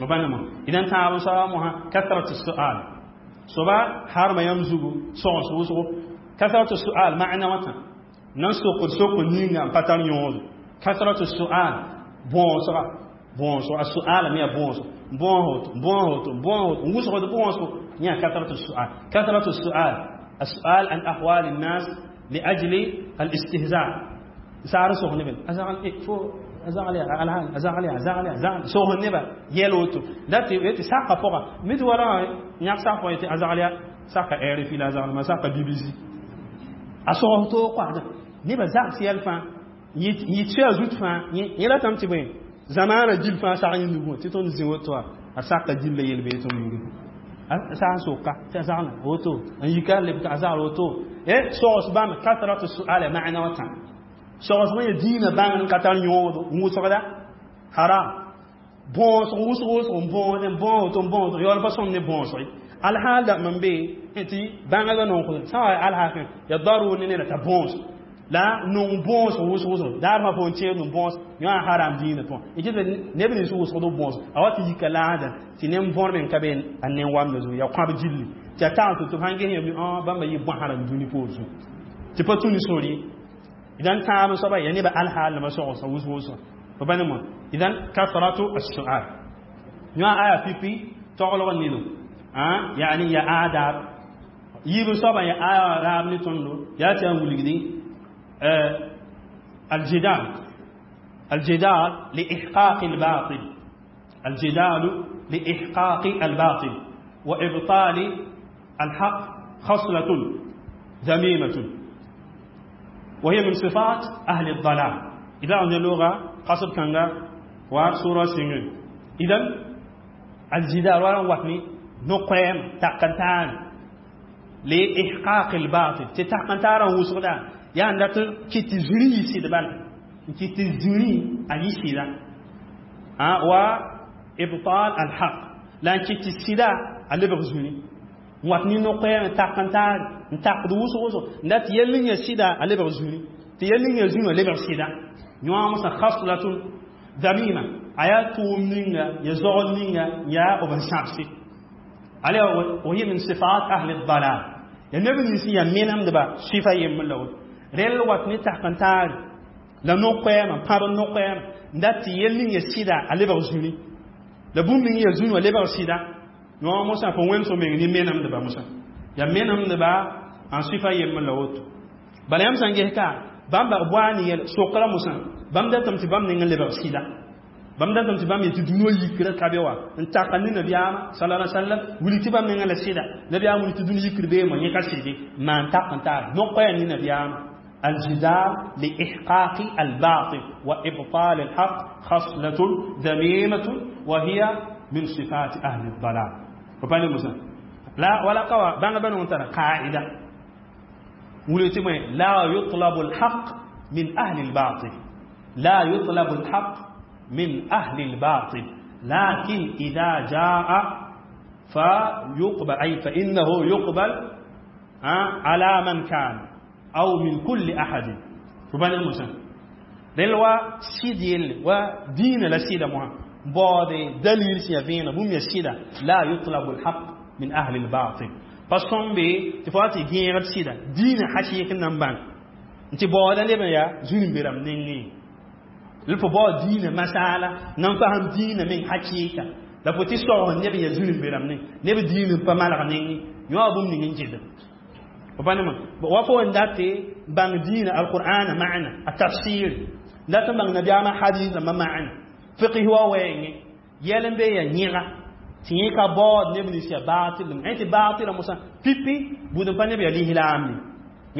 Mabanama idan tãab n soaba mosã kasratu sual soaba harma yãmb zugu sogs wʋsgo kasratu sual ma'na wãtã nan sokd sokd ninga n pa tar yõodo kasratu sual bõosga bõosgo a suala me yaa bõosgo bõos woto bõos woto bõos woto n wʋsgd bõosgo yã kasratu sual kasratu sual السؤال عن أحوال الناس لأجل الاستهزاء سار سوخ نبل أزغل إيه فو أزغل يا الهان أزغل يا أزغل يا أزغل سوخ نبل يلوتو لا تي ساقا فوقا مد ورا نياك ساقا يتي أزغل يا ساقا إيري في الأزغل ما ساقا بي بي سي أسوخ تو قاعدة نبل زاق سيال فان يتشي أزوت فان يلا تمتي بين زمان جيل فان ساقا يندبون تيتون زيوتوا أساقا جيل يل بيتون يندبون sã n soka tɩ a zagla woto n yika leb tɩ a zagl woto sogs bãmb kasratu suala ma'na wã tã sogs bã ya dĩinã bãngr n ka tar yõodo n wʋsgda haram bõosg wʋsg wʋsg n bõod n bõo woto n bõo woto yaool pa sõm ne bõosg ye alhaal dãmb n be tɩ bãngdbã nong sã wa alhaakẽ ya darur ne neda t'a bõos la nong bõos wʋsg wʋsg daar fãa fo n tẽed n bõos yõ a haram dĩinã pʋgẽ y kɩt neb nins wʋsgd b bõos a wa tɩ yika laada tɩ nen võrme n ka be a nen wamda zugu yaa kõab gilli tɩ a tag tɩ tɩ b sãn ges yãmb bãmba yɩ bõsã rãmb dũni poor zugu tɩ pa tũ ne sor ye idan tãab n soaba yaa nebã alhaal nima sogsã wʋsg wʋsga fo pa ne mo idan kasratu assual yõ a aya pipi toglg nino yani ya adab yiib n soaba ya aya raab ne tõndo yaa tɩ yaa n wilgdi الجدال الجدال لإحقاق الباطل الجدال لإحقاق الباطل وإبطال الحق خصلة ذميمة وهي من صفات أهل الضلال إذا عندنا لغة قصد كانغا وسورة سنين إذا الجدال ولا وطني نقيم تقنتان لإحقاق الباطل تتقنتان وصغدا yaa n dat n kɩt tɩ zũri yɩ sɩd bala n kɩt tɩ zũri a yɩ sɩda wa ibtal alhaq la n kɩt tɩ sɩda a lebg zũni n wat ne no-koɛɛm n tak n taar n takd wʋsg wʋsg n dat tɩ yɛl ning ya sɩda a lebg zũni tɩ yɛl ning ya zũni a lebg sɩda yõa mosã khaslatun damima a yaa tʋʋm ninga ya zogl ninga yaa b n sãbse ala wa hiya min sifat ahli dalal ya neb nins ya menemdba sifa yembr la woto rel wat ne tak n taare la no-koɛɛmã pãb n no-koɛɛmã n dat tɩ yel ning ya sɩda a lebg zũni la bũmb ning ya zũni wã lebg sɩda yõ mosã fo wẽnd so meng ne menemdba mosã ya menemdba n sifa yembr la woto bala yãmb sã n ges ka bãmba b waa ne yɛl sokra mosã bãmb datame tɩ bãmb neng n lebg sɩda bãmb datame tɩ bãmb yetɩ dũni wã yikra ka be wa n taka ne nabiyaamã sala alai sallam wilg tɩ bãmb nengã la sɩda nabiyaam wilg tɩ dũni yikr beemã yẽ ka sɩde maan tak n taar no-koɛɛ ne nabiyaamã الجدال لإحقاق الباطل وإبطال الحق خصلة ذميمة وهي من صفات أهل الضلال فبالي موسى لا ولا قوى بان بان ترى قاعدة لا يطلب الحق من أهل الباطل لا يطلب الحق من أهل الباطل لكن إذا جاء فيقبل أي فإنه يقبل على من كان أو من كل أحد فبان المسلم رلوا سيديل ودين لا سيدة مها بعد دليل سيفين بوم يسيدة لا يطلب الحق من أهل الباطل فصم بي تفاتي غير سيدة دين حشيك نمبان انت بعد لبن يا زين بيرم نيني لفو بعد دين مسألة نفهم دين من حقيقة la fo tɩ sog neb ya zũnim beram ne neb diin n pa malg neng yõ bũmb ning n gɩdem pa wa fo n dat tɩ bãng diinã alqur'ana ma'na a tafsir dat n bãng nabiyaamã hadis rãmbã ma'na fiqh wa wɛɛngẽ yɛl n be ya yẽga tɩ yẽ ka baood neb nins ya baatil ẽ tɩ baatɩlã mosã pipi bũd n pa neb ya lislaam ne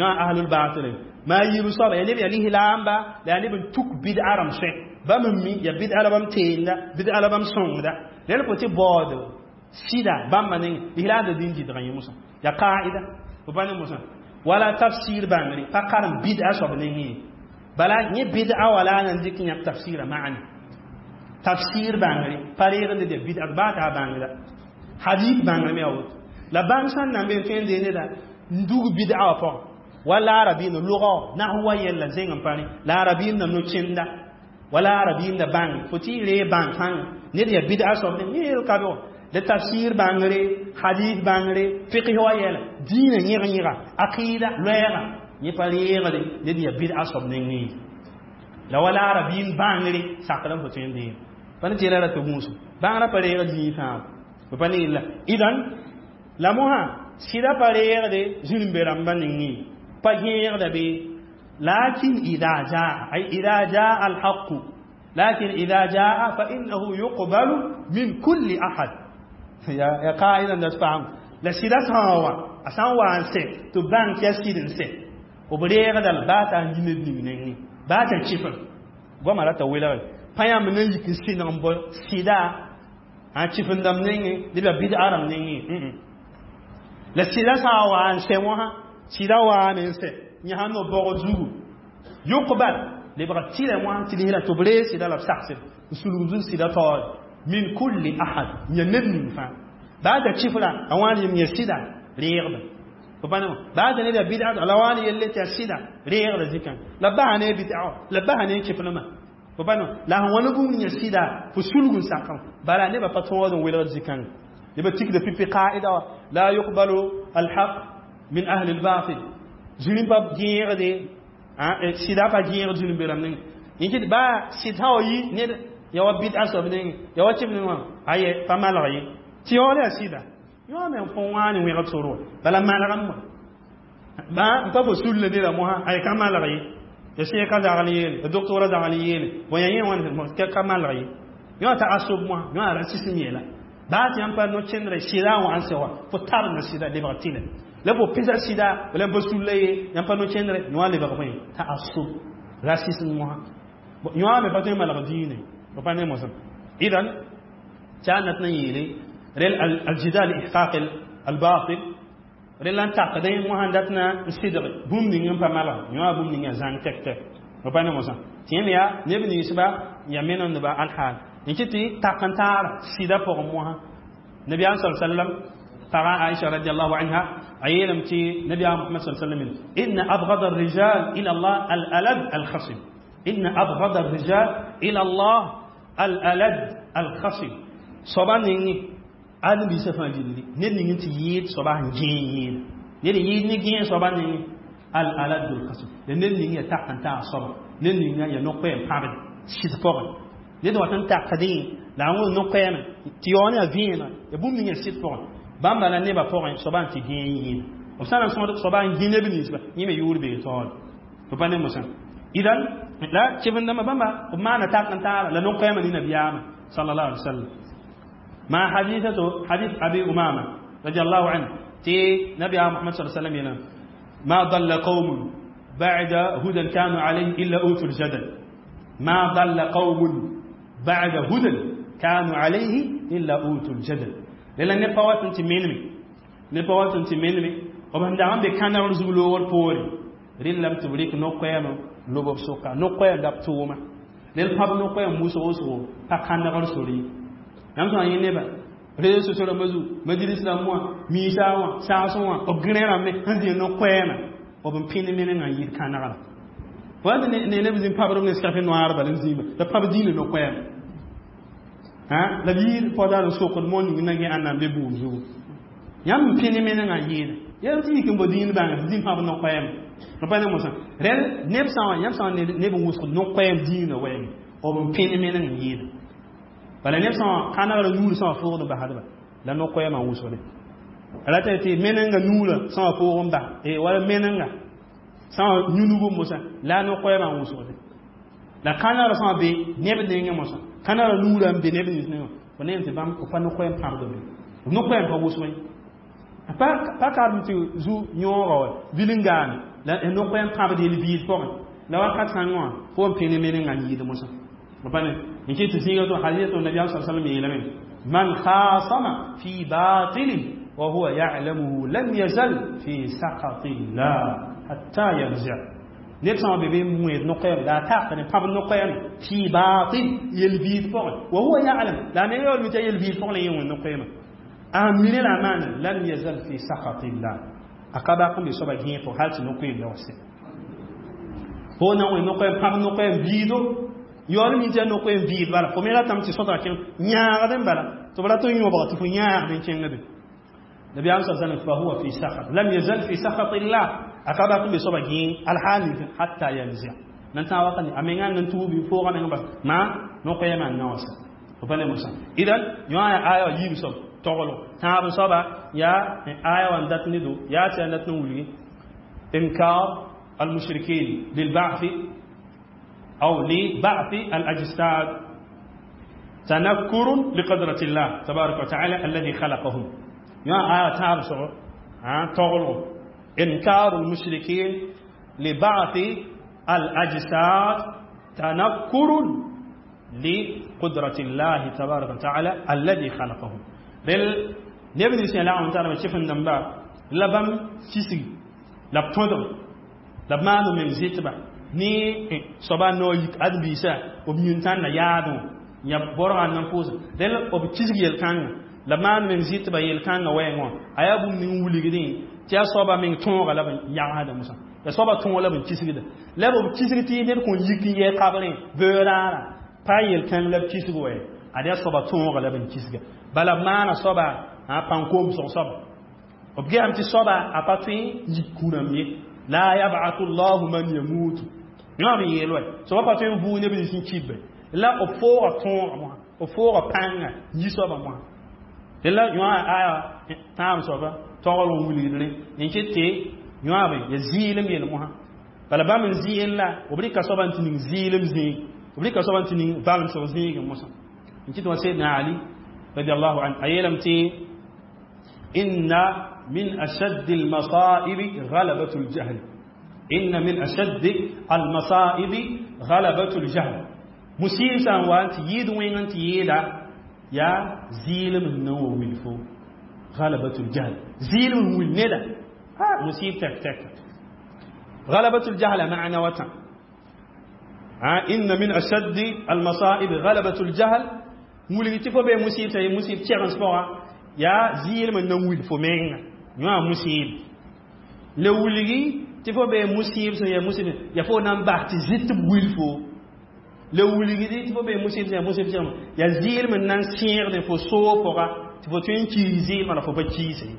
yõ ahlul baatil maa yiib soaba ya neb ya lislaamba la yaa neb n tuk bid'a rãmb sõe bãmb n mi ya bid'a la bãmb teenda bid'a la bãmb sõngda rel fo tɩ baood sɩda bãmba neng lislaamda dĩn gɩdgã yẽ mosã ya qaida fo pa ne mosã wala tafsir bãngre pa karem bid'a soab nengẽ ye bala yẽ bid'a wala a nan dɩk yãk tafsira ma'ana tafsir bãngre pa reegende de bid'a baa t'a bãngda hadith bãngre me ya woto la bãng sãn nan be n tõe n dee neda n dug bid'a wã pʋgẽ wala arabiina lʋgɔ nahwa yɛlla zẽng n pa rẽ la arabiina no-kẽnda wala arabiina bãng fo tɩ y ree bãng sãnga Ned ya bid'a soab ne yel ka be la tafsir bãngre, hadith bãngre, fiqh wa yɛla, dĩinã yẽg-yẽga, aqida loɛɛga, yẽ pa reegde ned ya bid'a soab nengẽ. La wala arabin bãngre sakr n fo tõe n deem pa ne tɩ yɛla ra tɩ gũuso bãngrã pa reegd zĩig fãa pa ne yella. Idan la mosã sɩda pa reegde zĩrĩmbe rãmbã nengẽ, pa gẽegda be. Lakin ida jaa, ay ida jaa alhaqu, lakin ida jaa fa innahu yuqbalu min kulli ahad. Ya qaida da paam la sɩda sã n wa, a sã n wa n sɛ tɩ bãng tɩ yaa sɩd n sɛ, b reegda la baa t'a n yi ned ning nengẽ, baa t'a chifr goama rata welgre pa yãmb na yik n sɩneg n bɔ sɩda a chifendame nengẽ, neb yaa bid'a rãmb nengẽ. La sɩda sã n wa n sɛ wãsã, sɩda waame n sɛ yẽ sãn no bɔgd zugu, yuqbal lebga tɩlɛ wã tɩ lisra tɩ b reeg sɩda la b saksd n sulg zug sɩda taoore min kulli ahad, yã ned ning fãa, baa t'a chifra a wãan yem yẽ sɩda reegda pa ne, baa t'a ned yaa bid'a la wãan yelle tɩ yaa sɩda reegda zikã, la basa ne bid'a, la basa ne chiflmã pa ne, la sẽn wã ne bũmb yẽ sɩda fo sulg n sakã. Bala nebã pa tõod n welgd zikãngã, nebã tikda pipi qaida wã: la yuqbalu alhaq min ahli albatil. Zĩrim pa gẽegde, sɩda pa gẽegd zĩrim-be rãmb nengẽ. Yẽ kɩt baa sɩd sã wa yi ned ya wa bid'a soab nengẽ, ya wa chif nengẽ wã, aye pa malg ye tɩ yaool yaa sɩda yõ me fõ wãane wẽgd sor wa. Bala malgame wã ba n pa fo sulla neda mosã, ay ka malg ye, ya sẽka zagl yeele, ya doktora zagl yeele, bõe ya yẽ wãn ka malg ye, yõ t'a asob mosã, yõ a rasism yeela baa tɩ yãmb pa no-kẽndrã sɩda n wa n sɛ wa fo tar na sɩda lebg tɩlɛ la fo pɩsa sɩda wala pa sulla ye, yãmb pa no-kẽndrã yõ a lebg bõe t'a asob rasism mosã, yõ me pa tõe n malg diine pa ne mosã. Idan tɩ a nat na yeele rel aljidal ihqaq albatil, rel n takdẽ mosã dat na n sɩdg bũmb ning n pa malg, yõ a bũmb ning a zãng tɛk tɛk pa ne mosã. Tɩ yẽ me yaa neb ninsba ya menendba alhaal n kɩ tɩ tak n taar sɩda pʋgẽ mosã. Nabiyaam sa sallam paga Aisha radiallahu anha a yeelame tɩ nabiyaam Muhammad sa sallam: inna abgada الrijal ila Allah al-alad al-khasib, inna abgada الrijal ila Allah al-alad al-khasib. Soaba nengẽ ãdem-biisã fãa gilli ned ning tɩ yɩɩd soaba sẽn gẽe yẽeda, ned yɩɩd ne gẽe soaba nengẽ al-alad al-khasib, la ned ning ya tak n taag soaba, ned ning ya no-koɛɛm pãbd sɩd pʋgẽ, ned wat n takdẽ la a wẽnd no-koɛɛmã tɩ yaool yaa vẽenega ya bũmb ning ya sɩd pʋgẽ. Bãmba la nebã pʋgẽ soaba n tɩ gẽe yẽeda, b sã n sõd soaba n gẽ neb ninsba, yẽ me yʋʋr bee taoore b pa ne mosã. Idan la chifendãmbã bãmba b maana tak n taara la no-koɛɛmã ne nabiyaamã sallallahu alaihi wasallam. ما حديثته حديث أبي أمامة رضي الله عنه تي نبي محمد صلى الله عليه وسلم ينام: ما ضل قوم بعد هدى كانوا عليه إلا أوتوا الجدل، ما ضل قوم بعد هدى كانوا عليه إلا أوتوا الجدل. لأن نبوات أنت منمي، نبوات أنت منمي وبهم دعم بكان رزق لور بوري رين لم تبريك نقيم لبب سوكا نقيم دبتوما للباب نقيم موسى وسو فكان رسولي yãmb sã n yẽ nebã réseaux sociaux rãmbã zu, majalis rãmb wã, miisa wã, saasẽ wã, b gẽne rãmb sẽn zĩ no-koɛɛmã, b n pẽnd menengã n yɩɩd kãnegrã wa ne neb zĩ pabd ne sɛf noaar bala n zĩima la pab dĩinã no-koɛɛmã la b yɩɩd pɔdaar n sokd mo ning na gẽ ãnna n be buud zugu. Yãmb n pẽnd menengã n yɩɩda yãmb tɩ yik n bo dĩin bãnga tɩ zĩ pãb no-koɛɛmã b pa ne mosã. Rẽl neb sã wã, yãmb sã n neb n wʋsg no-koɛɛm dĩinã wɛɛngẽ, b n pẽnd meneng n yɩɩda. Bala neb sã kãnegrã nuur sã wã foogd n basdba la no-koɛɛmã n wʋsgde rata tɩ menenga nuurã sã wã foog n bas wala menenga sã wã yũnug mosã la no-koɛɛmã n wʋsgde la kãnegrã sã wã be neb nengẽ mosã, kãnegrã nuurã n be neb nins nengẽ fo ne tɩ bãmb pa no-koɛɛm pãbd be, no-koɛɛm pa wʋsg ye pa karem tɩ zu yõoga wa vilngaame la no-koɛɛm pãbd yel biis pʋgẽ la wakat kãngã wã fo n pẽne menengã n yɩɩd mosã pa ne n kɩ tɩ zĩiga to hadisa to nabiyaam sa sallam yeelame: man khasama fi batilin wa huwa ya'lamuhu lam yazal fi saqatillah hatta yarji. Ned sã n be be n wẽed no-koɛɛm la a tak ne pãb no-koɛɛm fi batil yel biis pʋgẽ wa huwa ya'lam la a me yaool mi t'a yel biis pʋgẽ la yẽ wẽnd no-koɛɛmã a mine la a maana lam yazal fi saqatillah, a ka bak n be soaba gẽeg pʋgẽ hal tɩ no-koɛɛm la wa sɛ fo na wẽnd no-koɛɛm pãb no-koɛɛm biido. Yaool mi tɩ yaa no-koeem vɩɩd bala fo me ratame tɩ sõtga kẽng yãagd n bala tɩ b rat n yõbg tɩ fo yãagd n kẽngde. Nabiyaam sa sallam fa huwa fi sakhat lam yazal fi sakhat illah a ka bak n be soaba gẽe alhaal ning hatta yanzia nan tã wakat a menga n tuubi fooga meng bas ma no-koɛɛmã n na wã sa fo pa ne mosã. Idan yõ yaa aya wã yiib soab toglo tãab soaba yaa aya wã n dat ne do yaa tɩ yaa dat n wilgi inkar المشركين للبعث أو لبعث الأجساد تنكر لقدرة الله تبارك وتعالى الذي خلقهم. يا آية تابسو تغلو إنكار المشركين لبعث الأجساد تنكر لقدرة الله تبارك وتعالى الذي خلقهم. رل نبي سي الله تعالى شفن دمبا لبم سيسي لبتودم لبمانو من زيتبا ni soaba no yik ad-biisa b yũntãn na yaadẽ yã borga n nan pʋʋsẽ del b kisg yel-kãngã la maan meng zɩtba yel-kãngã wɛɛngã wã a yaa bũmb ning wilgdẽ tɩ yaa soaba meng tõoga la b yagsda mosã ya soaba tõog la b kisgda la b kisg tɩ ned kõn yik n yɛ kabrẽ beoraara pa yel-kãng la b kisg wɛ ad yaa soaba tõoga la b kisga bala b maana soaba pãn-koomsg soaba b gesame tɩ soaba a pa tõe n yik kũrãmb ye la yab'athu llahu man yamutu yõ b yeel wɛ soaba pa tõe n vʋʋg neb nins n kibbe la b fooga tõoga mosã b fooga pãnga yi soaba mosã la yõ aya tãab soaba togl n wilgdrẽ n kɩt tɩ yõabe ya zɩɩlem yel mosã bala bãmb n zɩɩl la b rɩka soaba n tɩ ning zɩɩlem zĩig b rɩka soaba n tɩ ning valemsg zĩigẽ mosã n kɩt wã Seydna Ali radiallahu an a yeelame tɩ inna min ashaddi almasaibi ghalabatu ljahl inna min ashaddi almasaibi ghalabatu ljahl musib sã n wa n tɩ yɩɩd wẽng n tɩ yɩɩda yaa zɩɩlem n na n wa wil fo ghalabatu ljahl zɩɩlem n wil neda musib tek tek غلبة الجهل معنى وتا إن من أشد المصائب غلبة الجهل مولي تفو بي مصيب سي مصيب تشيرنس فوا يا زيل من نويل فو مين يا مصيب لولي تفو بي مصيب سي مصيب يا فو نام باx تي زيت ويل فو لولي تفو بي مصيب سي مصيب سي يا زيل من نان سير دي فو سو فوا تفو تين كي زيل ما فو با كي سي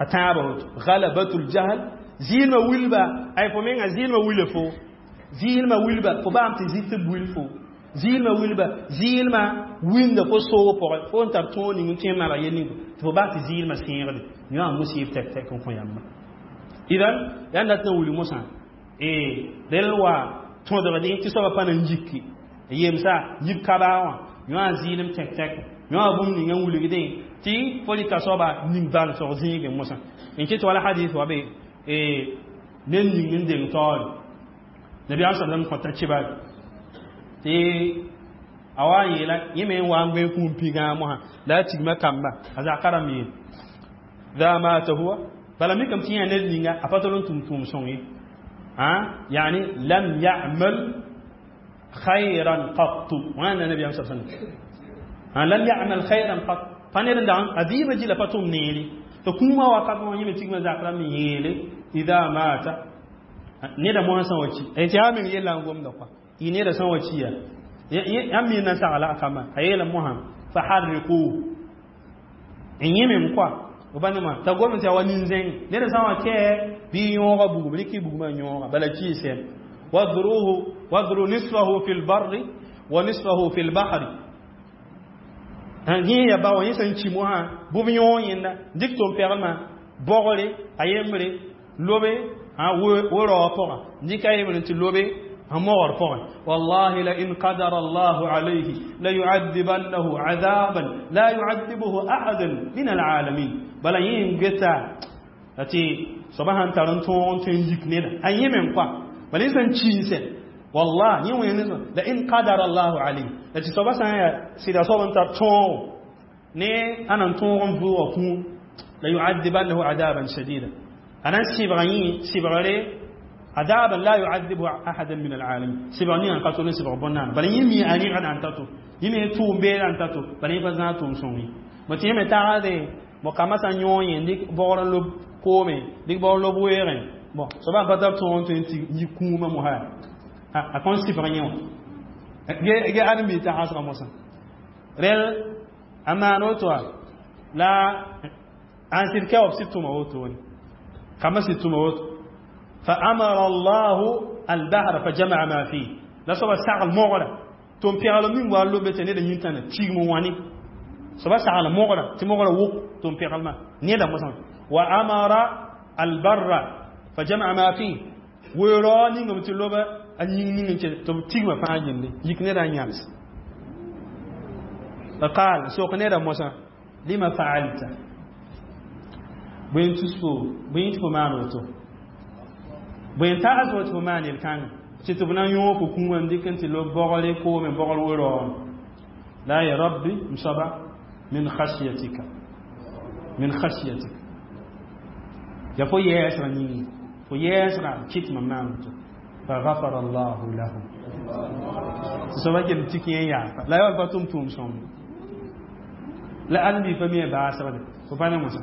اتابو غلبة الجهل zɩɩlmã wilba ay fo menga zɩɩlmã wila fo zɩɩlmã wilba fo baam tɩ zɩt b wil fo zɩɩlmã wilba zɩɩlmã winda fo soog pʋgẽ fo n tar tõog ning n tõe n mara yel ning tɩ fo bas tɩ zɩɩlmã sẽegde yõ a musib tɛk tɛk n kõ yãmba idan yaa n dat n wilg mosã rel wa tõdgdẽ tɩ soabã pa na n yiki yemsa yib kabaa wã yõ a zɩɩlem tɛk tɛk yõ a bũmb ninga n wilgdẽ tɩ fo rɩka soaba ning valsg zĩigẽ mosã n kɩt wala hadis wa be ned ning n deng taoore nabiyaam sallam kõta kibar tɩ a wa n yeela yẽ me n wa n goe kũum pigã mosã la a tigma kamba a zaka rãmb yeel ذا مات هو bala mikame tɩ yã ned ninga a pa tol n tʋm tʋʋm sõng ye يعني لم يعمل خيرا قط wãna nabiyaam sa sallam لم يعمل خيرا قط pa ned n dag a vɩɩmã gila pa tʋm neere tɩ kũumã wakat wã yẽ me tigmã zak rãmb n yeele ida mata neda moasã sã wa ki tɩ yaa meng yella n gomda kɔa y neda sã wa ki ya yãmb mi na sagla a kamba a yeela mosã fa harriquhu n yẽ mem kɔa b pa nema t'a gom tɩ ya wa nin-zẽng neda sã wa kɛ bɩ yõoga bugum rɩk bugmã yõoga bala kiisem wadruhu wadru nisfahu fi lbarri wa nisfahu fi lbahri yẽ ya ba wã yẽ sẽn ki mosã bʋb yõog yẽnda dɩk tʋm-pɛglmã bogre a yembre lobe we-raoog pʋgã dɩk a yembre tɩ lobe mogr pʋgẽ wallahi la in qadara allahu alayhi la yu'adhibannahu 'adaban la yu'adhibuhu ahadan min alalamin bala yẽ n geta tɩ soaba sãn tar n tõog n tõe n yik neda a yẽ meng kɔa bala yẽ sẽn kiisẽ wallah yẽ wẽnd la in qadara allahu alayhi la tɩ soaba sã n yaa sɩda soab n tar tõogo ne a nan tõog n vʋʋga kũum la yu'adhibannahu 'adaban shadida a na n sɩbga yẽ sɩbgre عذابا لا يعذبه احدا من العالمين سبغ ني ان كاتو سبغ بونان بل يمي اني غدا ان تاتو يمي تو بير ان تاتو بل يبا زاتو سوني ما تي مي تاغade mo kama sa yõ yẽ dɩk bogr n lob koome dɩk bogr n lob weegẽ bon soaba pa tar tõog n tõe n tɩ yi kũumã mosã a kõn sɩbg yẽ wã Ge ãdem-biig t'a hasga mosã rel a maan woto wã la an sɩd ka wa b sɩd tʋma wotone kambã sɩd tʋma woto. فأمر الله البحر فجمع ما فيه. La soaba sagl mogra tɩ m pɛgl min wa lobe tɩ ned yĩntãna tigm wãne soaba sagl mogra tɩ mogra wʋk tɩ m pɛglmã neda mosã. وأمر البر فجمع ما فيه. Weoorao ningame tɩ loba a yĩng ning n tɩ b tigmã fãa yelle yik neda n yãbs. فقال sok neda mosã: لم فعلت? Bõe n tus fo? Bõe tɩ fo maan woto? Bõe n tags fo tɩ fo maan yel-kãngã tɩ tɩ b na n yõog fo kũumã n dɩk n tɩ lob bogre koome bogr weoorao? La ya rabbi, m soaba, من خشيتك, من خشيتك. Ya fo yɛɛsgã yĩnge, fo yɛɛsgã kɩt mam maan woto. فغفر الله له. Tɩ soaba gem tik yẽ yaafa la ya pa tʋm tʋʋm sõmde la ãdem-biig pa mi baasgde fo pa ne mosã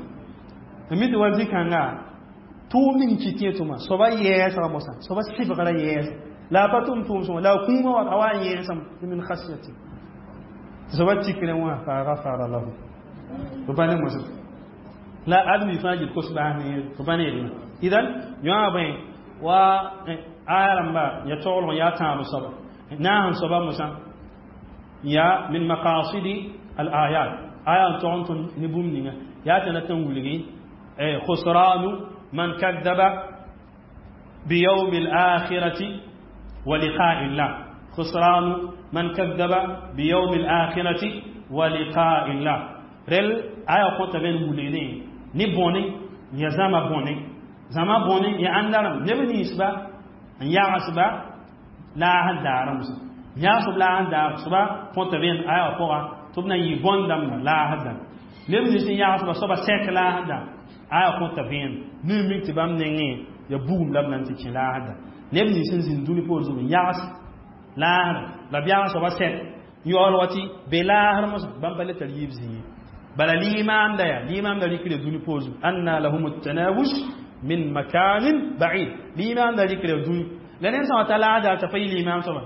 mi tɩ wa zĩ-kãnga tʋʋm ning kɩt yẽ tʋma soaba yɛɛsga mosã soaba sɩbgra yɛɛs la a pa tʋm tʋʋm sõma la a kũumã wa a wa n yẽesame من خشيتك. Tɩ soaba tikrẽ wã فغفر له. Fo pa ne mosã la ãdem-biig fãa gil kos baas ne fo pa ne yel. Idan yõa bõe wa aya rãmba ya taglg yaa tãab soaba naas n soaba mosã ya من مقاصد الآيات. Aya n tog n tõnd ne bũmb ninga yaa tɩ na tɩ n wilgi خسران من كذب بيوم الآخرة ولقاء الله, خسران من كذب بيوم الآخرة ولقاء الله. Rel aya kõta bẽn wilgdẽ ne bõne ya zãma bõne, zãma bõne ya ãndarem neb ninsba n yagsba laas daar mosã yãgsb laas daar soaba kõta bẽn aya wã pʋga tɩ b na n yɩ bõn-dãmba laas dar neb nins n yagsba soaba sɛk laas dar aya kõta vẽen ne mik tɩ bãmb nengẽ ya bugum la b na n tɩ kẽ laas dar neb nins n zĩnd dũni poor zug n yags laasra la b yags soaba sɛk yaool wa tɩ be laasr mosã bãmb pa le tar yiib zĩig. Bala limaamda ya limaamda rɩkre dũni poor zug أنى لهم التناوش من مكان بعيد. Limaamda rɩkre dũni la ned sã wa ta laas dar t'a pa yɩ limaam soaba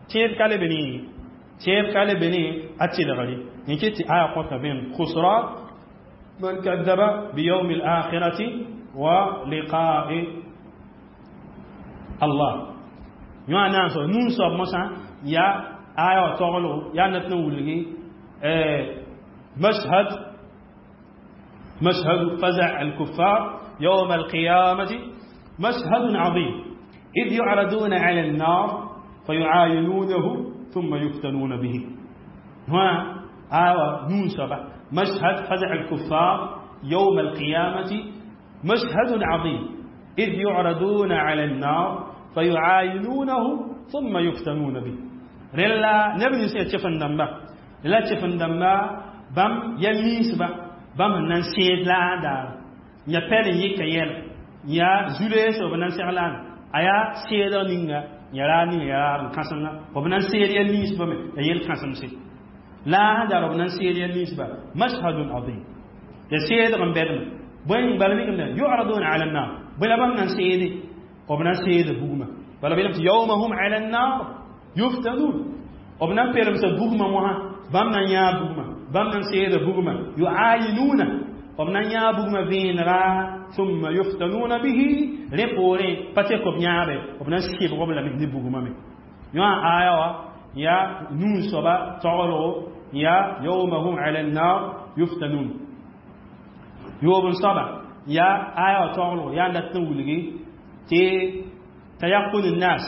tẽeb ka le be ne, tẽeb ka le be ne a tɩlgre yẽ ket tɩ aya kõta bẽn خسران من كذب بيوم الآخرة ولقاء الله. Yõ a naam soab nun soab mosã ya aya wã taglgo yaa nat n wilgi مشهد فزع الكفار يوم القيامة مشهد عظيم، إذ يعرضون على النار فيعاينونه ثم يفتنون به. هنا آوى نون سبع مشهد فزع الكفار يوم القيامة مشهد عظيم، إذ يعرضون على النار فيعاينونه ثم يفتنون به. Rẽla neb nins yaa tẽf-n dãmba la tẽf-n dãmba bãmb ya linsba bãmb sẽn na n sẽed laadaar ya pɛl n yɩka yɛl ya zu-leesg b na n seg laana a yaa seedg ninga ya raar ninga ya raar n kãsenga b na n seed ya linsba me ya yel kãsemse laasdaar b na n seed ya linsba. مشهد عظيم ya seedg n bɛdme bõe bala mikame يعرضون على النار. Bõe la bãmb na n seede? B na n seeda bugmã bala belame tɩ يوم هم على النار يفتنون. B na n peremsa bugmã mosã bãmb na n yãa bugmã bãmb na n seeda bugmã يعاينون b na n yãa bugmã vẽenega ثم يفتنون به. Rẽ poorẽ pa tɩ b yãabe b na n sɩbg b lame ne bugmã me. Yõ aya wã ya nuu soaba taglgo ya يوم هم على النار يفتنون. Yoob n soaba ya aya wã taglgo yaa n dat n wilgi tɩ تيقن الناس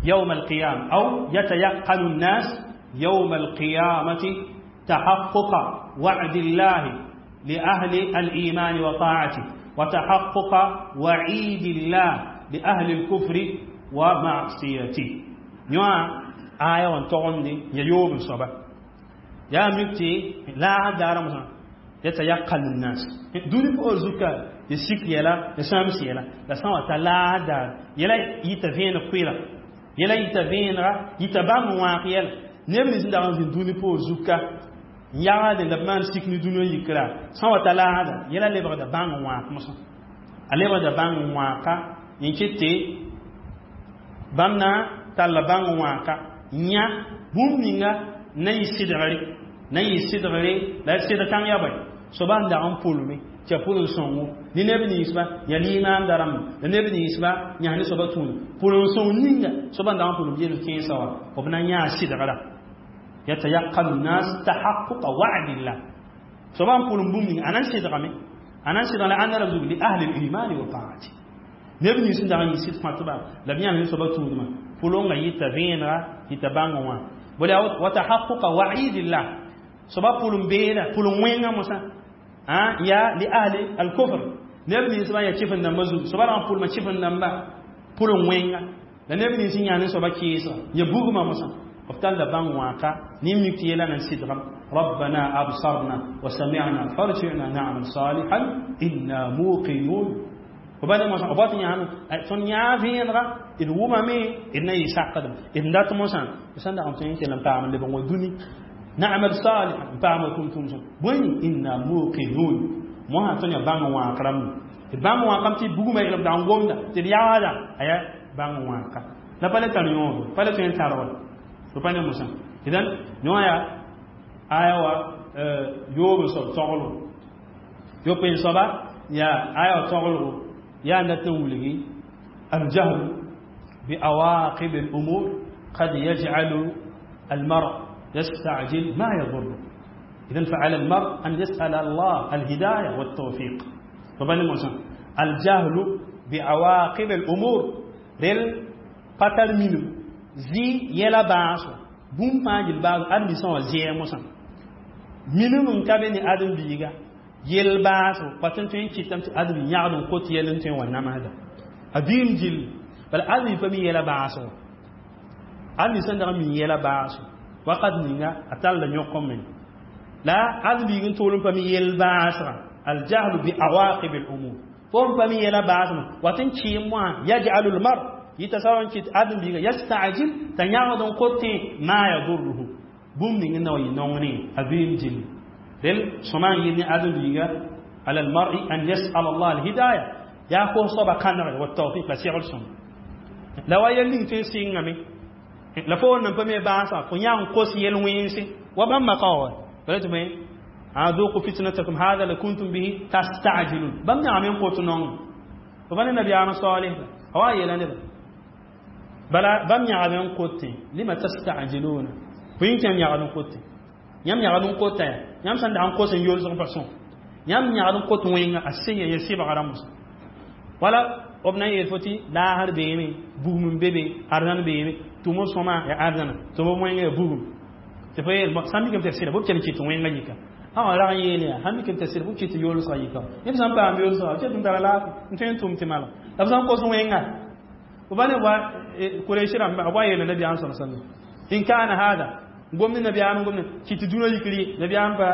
يوم القيامة أو يتيقن الناس يوم القيامة تحقق وعد الله لأهل الإيمان وطاعته وتحقق وعيد الله لأهل الكفر ومعصيته. يوا آية وانتغن يوم صبا يا مكتي لا دار مثلا يتيقن الناس دون بوزوكا ya sik yɛla ya sãams yɛla la sã n wa ta laas daar yɛla yita vẽeneg kʋɩla yɛla yita vẽenega yita bãmb n wãag yɛla neb nins n dag n zĩnd dũni poor zuka n yagde la b maan sik ne dũniyã yikra sã n wa ta laasda yɛla lebgda bãng n wãag mosã a lebgda bãng n wãaka yẽ ket tɩ bãmb na talla bãng n wãaka. Yã bũmb ninga na yɩ sɩdgre, na yɩ sɩdgre la sɩdg kãng yaa bõe? Soaba n dag n pʋlme tɩ ya pʋlem sõngo ne neb ninsba yaa limaamda rãmba la neb ninsba yãs ne soaba tũuda pʋlem sõng ninga soaba n dag n pʋlem yel kẽensã wã b na yãa sɩdgra. Yatayaqanu nnas tahaqquqa wa'dillah. Soaba n pʋlem bũmb ninga a na n sɩdgame, a na n sɩdg la ãnda rab zug li ahli limani wa taati neb nins n dag n yɩ sɩd kõtba la b yãs ne soaba tũudmã pʋlengã yɩta vẽenega yɩta bãngẽ wã bala wa tahaqquqa wa'idillah. Soaba pʋlem beeda pʋlem wẽngã mosã ya li ahli al-kufr neb nins bã ya kɩf n dãmbã zug soaba rag n pʋlma kɩf n dãmba pʋlem wẽnga la neb nins n yã ne soaba kɩɩsga ya bugmã mosã b talla bãng wãka ne mik tɩ yɛla nan sɩdgame. ربنا أبصرنا وسمعنا فارجعنا نعمل صالحا إنا موقنون. وبعد ما أبات يعمل تون يافين را إن وما مي إن يساقدم إن دات موسى بسند أم تين كلام تعمل لبن ودوني نعمل صالحا تعمل كنتم بوين إنا موقنون. ما تون يبان واكرم بان واكرم تي بوغما إلى دان غومدا تي ياوادا أيا بان واكا لا بالي تانيو بالي تين تارول فبان موسى. إذن نوايا aya wa yoob soab toglo yopoe soaba ya aya wa toglgo yaa n dat n wilgi aljahlu biawaqib alumur qad yajcalu almar يستعجل ما يضره. إذن فعلى المرء أن يسأل الله الهداية والتوفيق. فبني موسى الجهل بعواقب الأمور رل قتل منه زي يلا باسو بوم فاجل باسو أدمي سوى زي موسى minum n ka be ne ãdem-biiga yel baasgo pa tõe n tõe n kɩtame tɩ ãdem yãgd n kot yɛl n tõe n wa namsda a vɩɩm gill bala ãdem pa mi yɛla baasgo ãdem sẽn dag n mi yɛla baasgo wakat ninga a talla yõk n meng la ãdem-biig n tʋʋl n pa mi yel baasga aljahlu bi awaqib al umur fo n pa mi yɛla baasmã wat n kɩɩm wã yaj'alu lmar yɩta soab n kɩt ãdem-biiga yastajil t'a yãgd n kotẽ ma yadurruhu bũmb ning n na wa yɩ nong ne a vɩɩm gilli rel sõma n yɩl ne ãdem-biiga ala almar'i an yas'al allah alhidaya yaa kos soaba kãnegre wa tawfiq la segl sõm la wa yɛl ning tõe n sɩngame la fo wẽnnaam pa me baasã fo yã n kos yel-wẽnse wa bãmb maka wa bala tɩ bõe ذوقوا فتنتكم هذا لكنتم به تستعجلون. bãmb yãgame n kot nong fo pa ne nabiyaam saleh a wa yeela neba bala bãmb yãgame n kotẽ lima tasta'jiluna bõe n kẽm yãgd n kote yãmb yãgd n kota ya yãmb sẽn dag n kos n yolsg pa sõm yãmb yãgd n kot wẽnga a sẽn ya sɩbgra mosã wala b na n yeel fo tɩ laasr beeme bugum n be be arzãn beeme tʋm b sõma ya arzãna tʋm b wẽnga ya bugum tɩ fo yeel sãn mikame tɩ sɩda bʋ kell n kɩt wẽnga yika ã rag n yeel yaa sãn mikame tɩ sɩda bʋ kɩt yolsga yika neb sãn paam yolsga b ket n tara laafɩ n tõe n tʋm tɩ malg la b sãn kos wẽnga b pa ne wa Kuraish rãmba b wa yeela nabiyaam sal sallam in kana hada gomni nabiyaam gomni kɩt dũnã yikri nabiyaam pa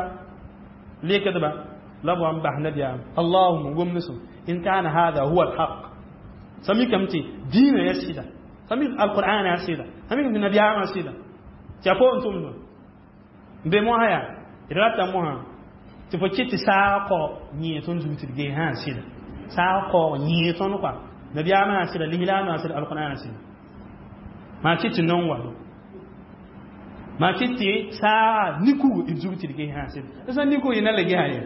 lekdba la b wa n bas nabiyaam allahuma gomni sõm in kana hada huwa alhaq sã mikame tɩ diinã yaa sɩda sã mik alqur'an yaa sɩda sã mikame tɩ nabiyaamã sɩda tɩ a poorẽ tʋmdã n be mosã yaa d rata mosã tɩ fo kɩt tɩ saag kaoog yẽe tõnd zug tɩ d gee sã sɩda saag kaoog yẽe tõnd kɔa nabiyaamã sã sɩda lislaamã sɩda alqur'an sɩda maa kɩt tɩ nong wa maa kɩt tɩ saaga nikug d zug tɩ d ges sã sɩda d sã nikug yẽ na la gesa ye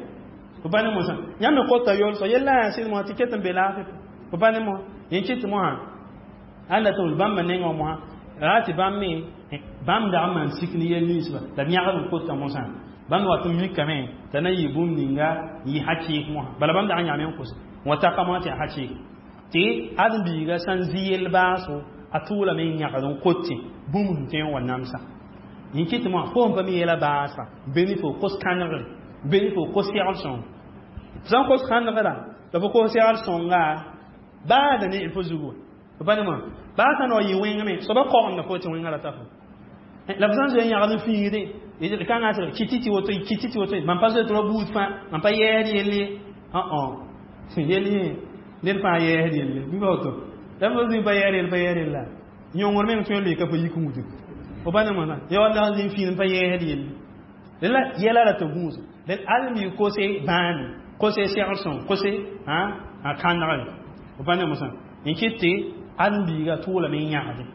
fo pa ne mosã yãmb me kota yolsg yella yaa sɩd mosã tɩ ket n be laafɩ fo pa ne mosã yẽ kɩt mosã ãnda tɩ bãmba nengã mosã raa tɩ bãmb me bãmb dag n maan sik ne yɛl ninsba la b yãgd n kota mosã bãmb wat n mikame t'a na yɩ bũmb ninga n yɩ hakɩɩk mosã bala bãmb dag n yãame n kos n wa taka mosã tɩ yaa hakɩɩk tɩ ãdem-biiga sã n zĩ yel baasgo a tʋʋlame n yãgd n kote bũmb sẽn tõe n wa namsa yẽ kɩt mosã fo n pa mi yɛla baasga be ne fo kos kãnegre be ne fo kos segl sõng fo sã n kos kãnegra la fo kos segl sõnga baada ne fo zugu fo pa ne mosã baa sã n wa yɩ wẽngame soaba kaogemda fo tɩ wẽnga rata fo la fo sã n zoe n yãgd n fĩigde kãngã sɩd kɩtɩ tɩ woto kɩtɩ tɩ woto mam pa zoe tɩ ra buud fãa mam pa yɛɛsd yelle ã yell yẽ ned fãa yɛɛsd yelle bɩ pa woto la fo zĩ pa yɛɛd yell pa yɛɛd yella yõngr meng tõe n loe ka fo yik n wudg fo pa ne mosã ya wa dag zĩ fĩin pa yɛɛsd yelle la yɛla ra tɩ gũus d almi kose bãane kose segl sõng kose a kãnegre fo pa ne mosã n kɩt tɩ ãdem-biiga tʋʋlame n yãgde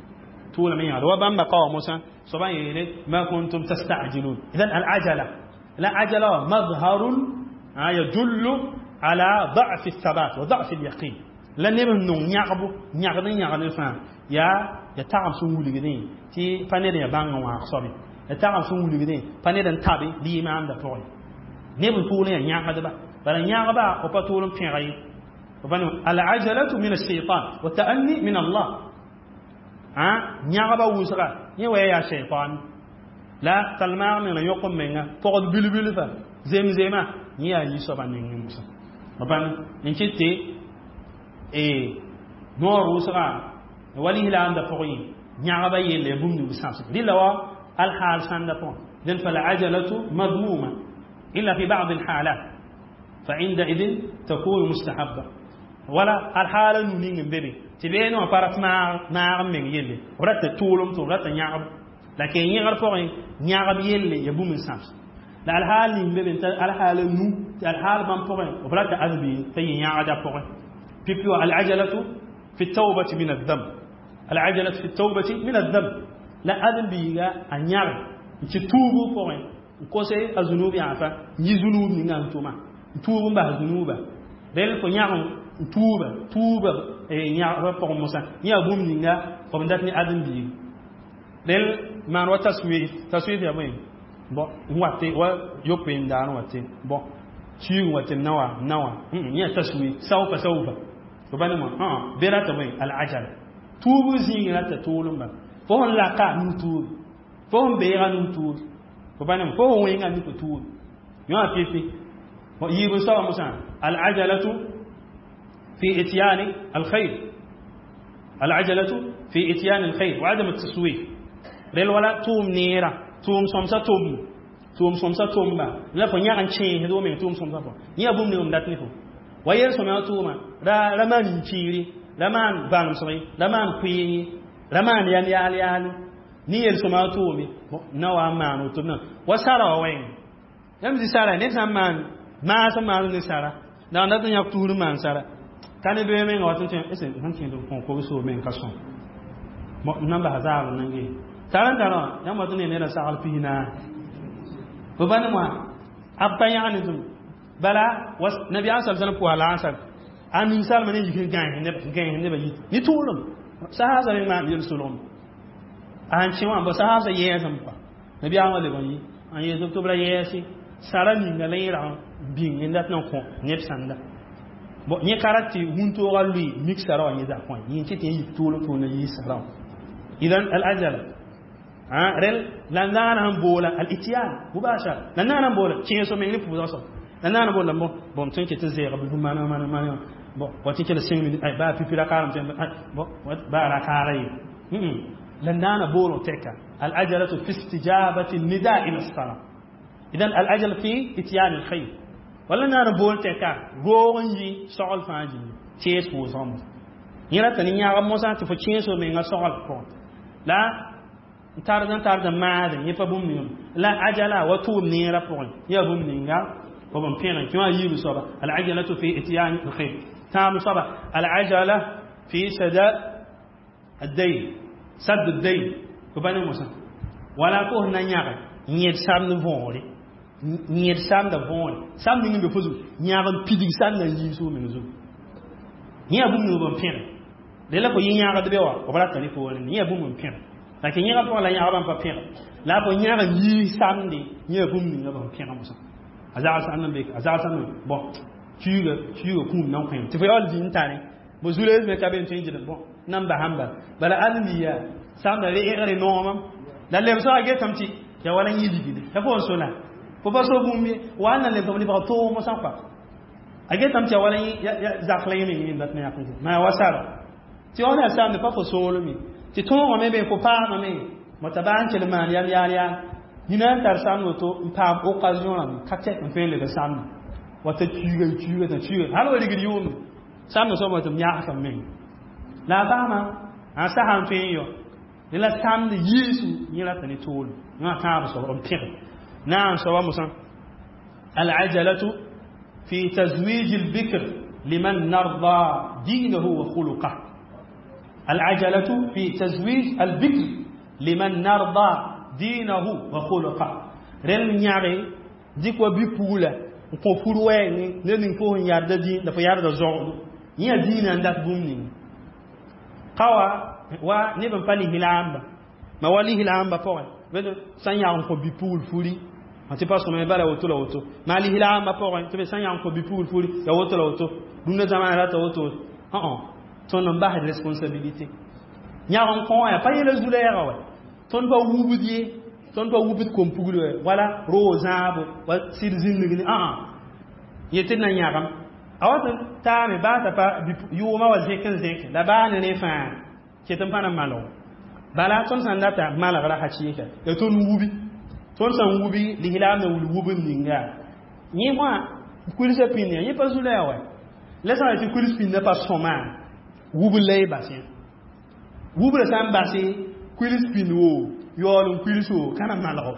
Tuulame yãgd wa bãmba kao mosã soaba n yeele ma kuntum tastajilun. Idan al ajala la ajala wa mazharun yadullu ala ضعف الثبات وضعف اليقين. La neb n nong yãgbo yãgd n yãgd fãa yaa ya tagem sẽn wilgdẽ tɩ pa ned ya bãng n wãag soabe, ya tagem sẽn wilgdẽ pa ned n tabe limaamda pʋgẽ. Neb n tʋʋl n yaa yãgdba, bala yãgba f pa tʋʋl n pẽga ye. Al-ajalatu min ash-shaytan wa ta'anni min Allah. Yãgba wʋsga yẽ wa yaa shaytan la talmaag meng la yõk n menga pɔgd bilbilfa zemzema yẽ yaa yi-soabã nengẽ mosã b n kɩt tɩ noor wʋsga wa lislaamda pʋgẽ yãgba yelle ya bũmb ning sãbsg rɩla wa alhaal sãnda pʋgẽ. Dẽn falajalatu madmuma illa fi ba'd alhalat, فعندئذ تكون مستحبة. ولا الحالة نونين بيبي تبين وفرت مع من يلي ورت تولم ورت يعب، لكن يغر فوق يعب يلي يبو من سامس لا الحال نين بيبي الحالة نو الحال من فوق ورت أذبي في يعد فوق بيبيو. العجلة في التوبة من الذنب، العجلة في التوبة من الذنب. لا أذن بيغا أن يعب تتوبو فوق كوسي الذنوب يعفا يذنوب من أنتما tuub n bas zunuuba rel fo yãg n tuuba tuuba yãgba pʋgẽ mosã yẽ yaa bũmb ninga f n dat ne ãdem-biig rel maan wa taswif. Taswif yaa bõe? Bõ n wat wa yopoe n daar n wa tɩ bõ suig n wa tɩ nawa nawa yẽ yaa taswif saufa saufa fo ba ne wã be rata bõe al-ajal tuub zĩig rata tʋʋlem ba fo sẽn laka nug tuub, fo sẽn beega nug tuub, fo ba ne fo sẽn wẽnga nik tuub yõ pipi yiib n soaba mosã. Al-ajalatu fi ityani alkhair, al-ajalatu fi ityani alkhair wa adam at-taswif. Rel wala tʋʋm neera tʋʋm sõmsa tʋm tʋʋm sõmsa tʋmba la fo yãg n kẽesd wo meng tʋʋm sõmsa fo yẽ yaa bũmb ning m dat ne fo wa yel sõmyã tʋʋma ra maan yĩkiiri, ra maan bãnemsg, ra maan kʋɩɩng, ra maan yam yaal yaale ne yel sõma tʋʋme na wa n maan woto na wa sara wa wẽng yãmb zĩ sara ned sã n maan maas n maan ne sara la n dat n yãk tuur n maan sara ka ne bee menga wat n tẽ sẽn kẽed n kõ kobs meng ka sõm n na n bas zaab n nange tara n tara wã yãmb wat n ne neda sagl 40 fo ba ne wã a pa yãg ne tʋm bala nabiyaam sa sallam pʋsa la n a ninsalmã ne yik n gães nebã yit ne tʋʋlem sahaasa me maan yel solgem a sẽn kẽ wã bõ sahaasa yɛɛsem pa nabiyaam wã leb n yi n yeel tɩ b ra yɛɛse sara ninga la yẽ rag n bĩng n dat n kõ neb sãnda bon yẽ ka rat tɩ wũntoogã lʋɩ mik sara wã yẽ zak wã yẽ tɩ tɩ yik tʋʋlem tʋʋl na yiis sara wã. Idan al ajal rel la naana sẽn boola al ityan mubashar la naana n boola kẽeso meng ne pʋʋsg soab la naana boola bon bõm tõe n ket n zɛɛga bilfu mana mana mana bon wa tɩ kell 5 minutes ay baa pipi ra kaarem tɩ bon baa ra kaara ye la naana bool tɛka. Al ajalatu fi istijabati nida ila as-salat. Idan al ajal fi ityan al khayr wala naana bool tɛka roog n yi sogl fãa gilli kẽes pʋʋsgã mosã yẽ rata ne yãgb mosã tɩ fo kẽeso menga sogl pʋgẽ la n tard n tard n maade yẽ pa bũmb ningame la ajala wa tʋʋm neerã pʋgẽ yaa bũmb ninga b n pẽgẽ kẽ wã yiib soaba al ajalatu fi ityan al khayr. Tãab soaba al ajala fi sada ad-dayn sadd ad-dayn fo pa ne mosã wala fo sẽn na yãge yẽd samd võore yẽd samda võore sam ning n be fo zug yãag n pidig sam na yiis fo meng zug yẽ yaa bũmb ning b n pẽge de la fo yẽ yãagd be wa b rata ne poorẽ yẽ yaa bũmb n pẽge lakin yẽga pʋgẽ la yãgba n pa pẽge la fo yãag n yiis samde yẽ yaa bũmb ninga b n pẽge mosã a zag sãnd n be a zag sãnd bõn tuuga tuuga kũum nan kõ tɩ fo yaool zĩ n tare bo zulees me ka be n tõe n gɩdg bõn nan basãmba bala ãdem-biiga samda reegre noomam la lebsga getame tɩ ya wala yẽ ligde ya fo n so la fo pa so bũmb ye wa n na lebsg lebg toog mosã kɔa a getame tɩ ya wala zak la yẽ meng yẽ dat ne yak maa wa sara tɩ wã ne a samde pa fo soolme tɩ tõogame be fo paamame mota baa n kell maan yam yaal yaal yĩna n tar samd woto n paam occasion rãmb ka tɛk n tõe n leb samde wata tuuga tuuga tã tuuga hal wa rigd yʋʋmde samd soab tɩ m yãgsem meng la a basma a sasa n tõe n yɔ la samd yiisu yẽ rata ne toolem wã tãab soab n pẽge naam soaba mosã alajalatu fi tazwij albikr liman narda dinahu wa khuluqah. Al-ajalatu fi tazwij al-bikr liman narda dinahu wa khuluqa. Rel nyare dɩk wa bi-pugla n kõ fur wɛɛngẽ ned ning fo sẽn yarda dĩin la fo yarda zoogdo yẽ yaa dĩinã n dat bũmb ninga ka wa neb n pa lislaamba ma wa lislaambã pʋgẽ sã n yag n kõ bi-pugl furi tɩ pa sõma bala woto la woto maa lislaambã pʋgẽ tɩ be sã n yag n kõ bi-pugl furi ya woto la woto rũndã zamaana rata woto õ tõnd n basd responsabilité yag n kõ wã yaa pa yɛla zu-lɛɛga wa tõnd pa wubd ye tõnd pa wubd kom-pugl wɛ wala roog zãabo wa sɩd zĩndg ne ãa yetɩ d na yãgem a wat n taame baa t'a pa yʋʋmã wa zẽk n zẽk la baa ne rẽ fãa ket n pa na malg bala tõnd sã n data malgra hakɩɩka ya tõnd wubi tõnd sã n wubi lislaam na wil wubd ninga yẽ wã kulsã pĩnd yã yẽ pa zu-lɛɛg wɛ la sã n tɩ kuls pĩndã pa sõma wubd la y bas yã wubra sã n base kuls pĩnd wo yaool n kuls wo ka na malgo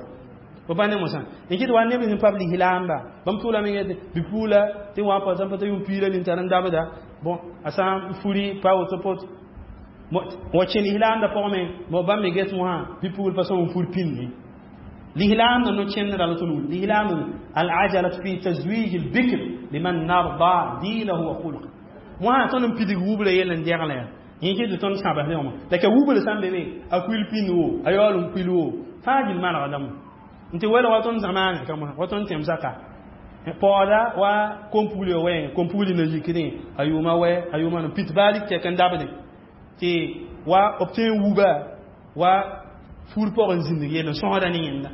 fo pa ne mosã n kɩt wa neb sẽn pa b lislaamba bãmb tʋʋlame yetɩ bi-puula tɩ wa pa sã n pa t'a yʋʋm piila nin-tar n dabda bon a sã n furi pa woto pot wa kẽ lislaamdã pʋgẽ me bãmb me ges mosã bi-pugl pa sõm n fur pĩnd ye lislaamdã no-kẽndrã la tõnd wil lislaamdã al-ajalat fi tazwij al-bikr liman narda dinahu wa khulqa mosã tõnd n pidig wubra yell n degla ya yẽ kɩ tɩ tõnd sãbs ne wã la ka wubra sã n be me a kuil pĩnd wo a yaool n kuil wo fãa gill malgdame n tɩ welg wa tõnd zamaana ka mosã wa tõnd tẽmsã ka paooda wa kom-pugl ya wɛɛngẽ kom-pugl na yikdẽ a yʋʋma wɛ a yʋʋma n pit baa lik tɛk n dabdẽ tɩ wa b tõe n wuba wa fur pʋgẽ zĩndg yell n sõsda ne yẽnda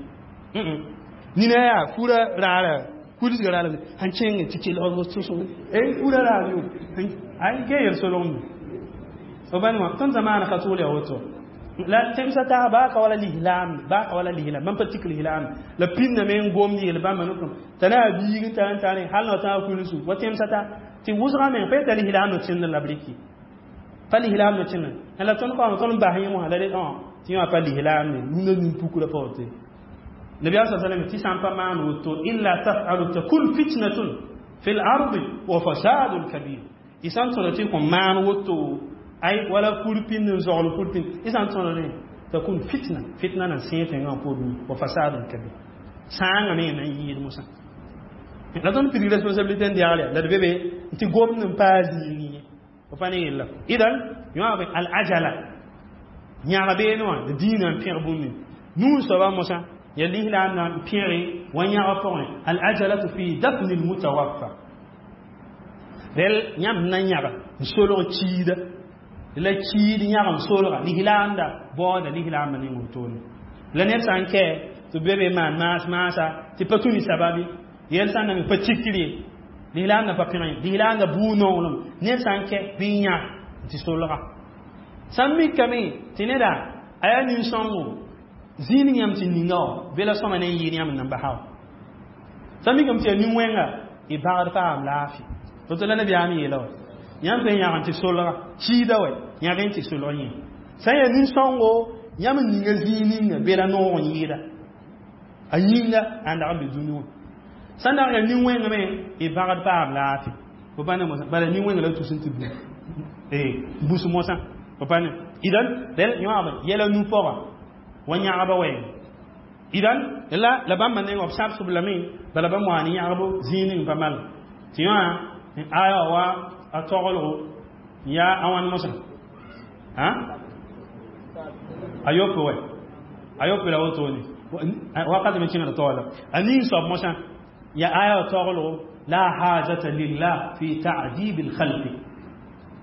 nina yaa fura raara kulsga raara sẽn kẽng tɩ kelg fura raar yo ay ke yel solgme b bãn wã tõnd zamaana ka tʋʋl yaa woto la tẽmsã taag baa ka wala lislaam baa ka wala lislaam bãmb pa tik lislaam la pĩndame n gomd yel bãmba notom t'a na yaa biig n tar n tare hal na tãag kulsu wa tẽmsã ta tɩ wʋsgã meng pa yeta lislaam no tẽnd la b rɩki pa lislaam no tẽnd la tõnd kaoom tõnd n bas yẽ mosã la re tɩ yã pa lislaam ne rũndã nin-pukra pa woto nabiyaam sa sallam tɩ sã n pa maan woto illa tafalu takun fitnatun fi l ardi wa fasadun kabir y sã n tõda tɩ kõn maan woto ay wala fur pĩnd n zogl fur pĩnd y sã n tõda rẽ takun fitna fitna na sẽe tẽngã pʋʋr wa fasadun kabir sãangame na n yɩɩd mosã la tõnd pidig responsabilité n degle la d be be tɩ gomd n paa zĩig ye fo pa ne yella idan yõab al ajala yãg beene wã dĩinã n pẽg bũmb nuu soaba mosã ya lislaam na n pẽge wa yãga pʋgẽ al ajalatu fi dafni lmutawaffa rel yãmb na yãga n solg kiida la kiid yãg n solga lislaamda baooda lislaambã ning wotone la ned sã n kɛ tɩ be be maan maas maasa tɩ pa tũ ne sababi yɛl sã n na me pa tikr ye lislaamda pa pẽg ye lislaamda buu nonglem ned sã n kɛ bɩ yã tɩ solga sã n mikame tɩ neda a yaa nin-sõngo zĩig yãmb tɩ ninga wã be la sõma ne n yɩɩd yãmb n nan basa wã sã n mikame tɩ yaa nin-wẽnga y bagd paam laafɩ woto la nabiyaam yeela wa yãmb tõe n yãg n tɩ solga kiida wɛ yãg n tɩ solg yẽ sã n yaa nin-sõngo yãmb n ninga zĩig ninga be la noog n yɩɩda a yĩnga a n dag n be dũni wã sã n dag yaa nin-wẽng me y bagd paam laafɩ fo pa ne mosã bala nin-wẽnga la tus n tɩ bus mosã fo pa ne idan rel yõab yɛla nu pʋga wa yãgba wɛɛng idan la bãmba nengã b sabsb lame bala bãmb wa ne yãgbo zĩig ning pa mal tɩ yõa aya wa a toglgo yaa a wãn mosã a yope wɛ a yope la wotone wakat me kẽngd taoola a ning soab mosã ya aya wa toglgo لا حاجة لله في تعذيب الخلق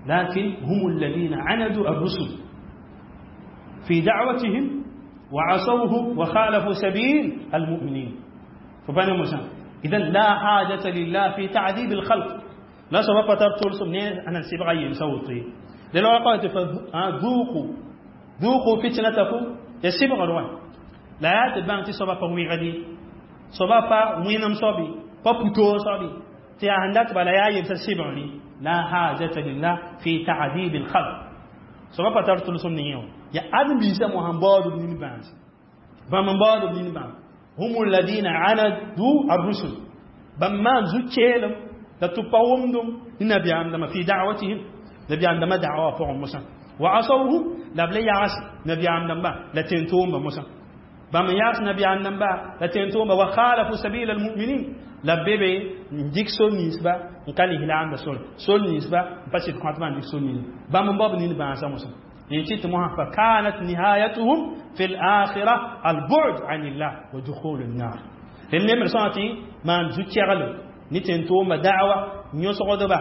لكن هم الذين عندوا الرسل في دعوتهم وعصوه وخالفوا سبيل المؤمنين فبني موسى إذن لا حاجة لله في تعذيب الخلق لا سبب ترتول سمنين أنا نسيب غير صوتي لأنه قالت ذوقوا ذوقوا فتنتكم يسيب غلوان لا يتبان تسبب وي غدي سبب وينم صبي بابوتو صبي تي عندك بلا يا يبسيب لا حاجة لله في تعذيب الخلق سبب ترتول سمنين يا آدم بيسا محمد بن باز بام بن باز هم الذين عندوا الرسل بما زكيلم la tɩ pa wʋmdum ne nabiyaam dãmba fi da'watihim nabiyaam dãmbã da'wa pʋgẽ mosã Wa asawhu la b le yags nabiyaam dãmba la tẽn-toomba mosã. Bãmb n yags nabiyaam dãmba la tẽn-toomba. Wa khalafu sabila almuminin, la b be be n dɩk sor ninsba n ka lislaamda sore, sor ninsba n pa sɩd kõtbã n dɩk sor nins bãmb n bao b nin bãasã mosã. Tɩ mosã fa kanat nihayatuhum fi lakhira albu'd an illah wa dukhul annar. Rel nemd sõa tɩ maan zu-kɛglem ne tẽn-toomba da'wa yõsgdba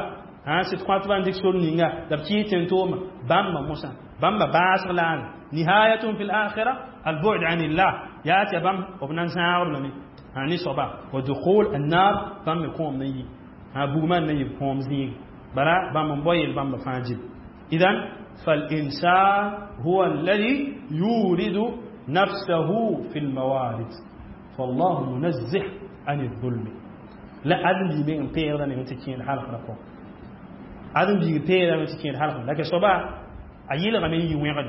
sɩd kõtbã n dɩk sor ninga la b kɩɩs tẽn-toomã bãmba mosã, bãmba baasg laana nihayatuhum fi lakhira albu'd an illah, yaa tɩ bãmb b na n zãagb lame ne soaba wa dukhul annar, bãmb me kõom na yi bugmã na yɩ kõom zĩig bala bãmb n bao yel bãmba fãa jib. Idan فالإنسان هو الذي يورد نفسه في الموارد، فالله منزه عن الظلم. لا أدم بي من بيغدا من تكين حلقة ركو أدم بي بيغدا من تكين حلقة، لكن صبا أيل غمي يوغد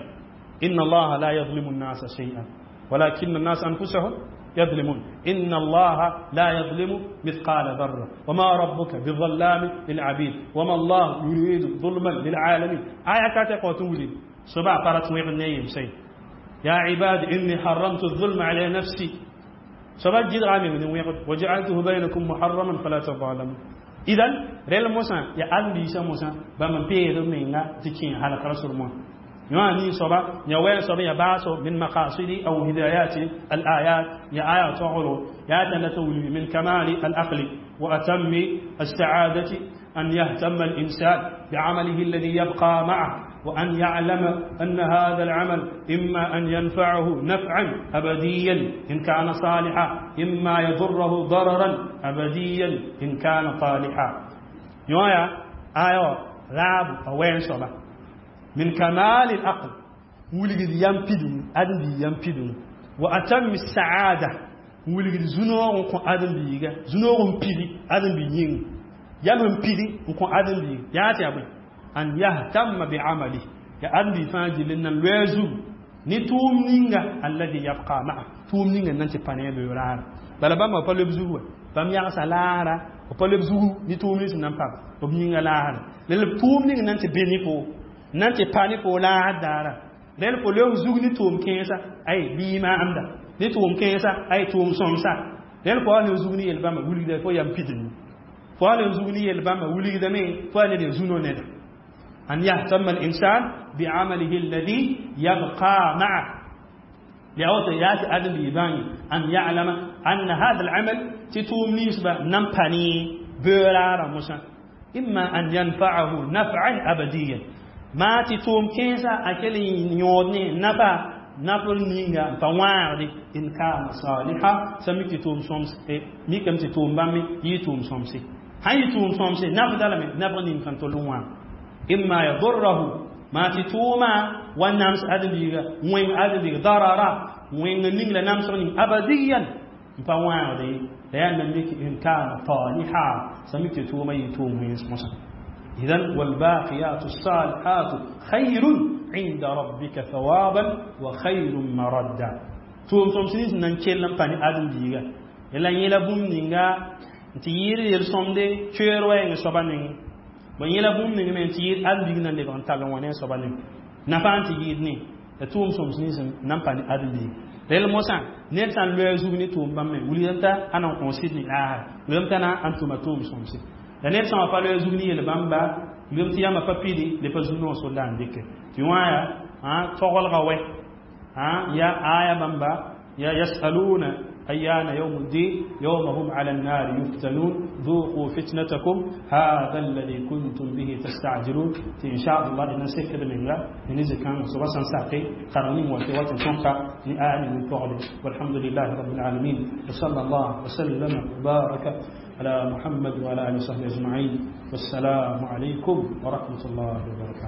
إن الله لا يظلم الناس شيئا ولكن الناس أنفسهم يظلمون، إن الله لا يظلم مثقال ذرة وما ربك بظلام للعبيد وما الله يريد ظلما للعالمين. آية كاتب تولي صبا قرأت ويغنيم سي يا عباد إني حرمت الظلم على نفسي، صبا جد غامي من ويغد وجعلته بينكم محرما فلا تظالموا. إذن ريل موسى يا ألبي موسى بمن بير منا تكين على رسول الله يعني صبا يا وين صبا يا باسو من مقاصد أو هدايات الآيات يا آيات تغلو يا تنتولي من كمال العقل وأتم السعادة أن يهتم الإنسان بعمله الذي يبقى معه، وأن يعلم أن هذا العمل إما أن ينفعه نفعا أبديا إن كان صالحا، إما يضره ضررا أبديا إن كان طالحا. يا آية راب وين صبا من كمال العقل ولد يمبدون أدم يمبدون وأتم السعادة ولد زنور أدم بيجا زنور بيدي أدم بيين يم بيدي أدم بيجا يا أبي أن يهتم بعمله يا أدم بيفاجي لأن الوزو نتوم نينغا الذي يبقى معه توم نينغا نانتي بانيه بيورار بلا بام با لبزو بام يا سالارا با لبزو نتوم نيس نامبا بنينغا لار لل توم نينغا نانتي بينيفو nan tɩ pa ne fo laasd daara rẽl fo leoog zug ne tʋʋm kẽesa ay bii maamda ne tʋʋm kẽesa ay tʋʋm sõmsa rẽl fo wa zug ne yel-bãmba wilgda fo yam pidmi fo wa zug ne yel-bãmba wilgdame fo wa ned n zũno neda. أن يهتم الإنسان بعمله الذي يبقى معه لأوت ياتي أدم بيباني أن يعلم أن هذا العمل تتوم نسبة نمبني بيرارا موسى إما أن ينفعه نفعا أبديا ما تتوم كيسا أكلي نيودني نفع نفل نينغا فواردي إن كان صالحا سمي تتوم سومس ميكم تتوم بامي يتوم سومسي هاي تتوم سومسي نفع دلمي نفع نين كان تلوان إما يضره ما تتوما والنامس أدبيغا وين أدبيغ ضررا وين نينغ نامس أبديا فواردي لأن ميك إن كان صالحا سمي تتوما يتوم وينس. إذن والباقيات الصالحات خير عند ربك ثوابا وخير مردا. توم توم سنين نانكيل باني آدم ديغا يلا يلا بوم نينغا تيير يرسومدي تشير وين سوبانين bon yela bũmb ning me n tɩ yɩɩd ãdem-biig na n lebg n tall n wa ne a soaba ning nafa n tɩ yɩɩd ne la tʋʋm sõms nins n nan pa ne ãdem-biig rel mosã ned sã n loe a zug ne tʋʋm bãmb me wilgdame t'a a nan kõ sɩd ne laasra wilgame t'a na n tʋma tʋʋm sõmse la ned sã wã pa loe a zug ne yel-bãmba wilgame tɩ yãmba pa pidi le pa zu-noog sol la n dɩke tɩ wã yaa togelga wɛ ya aya bãmba ya yasaluna أيان يوم الدين يوم هم على النار يفتنون ذوقوا فتنتكم هذا الذي كنتم به تستعجلون. إن شاء الله إن سكر من الله نزل كان سبحان ساقي قرنين وتوات سنقا لآل من فعل. والحمد لله رب العالمين وصلى الله وسلم وبارك على محمد وعلى آله وصحبه أجمعين والسلام عليكم ورحمة الله وبركاته.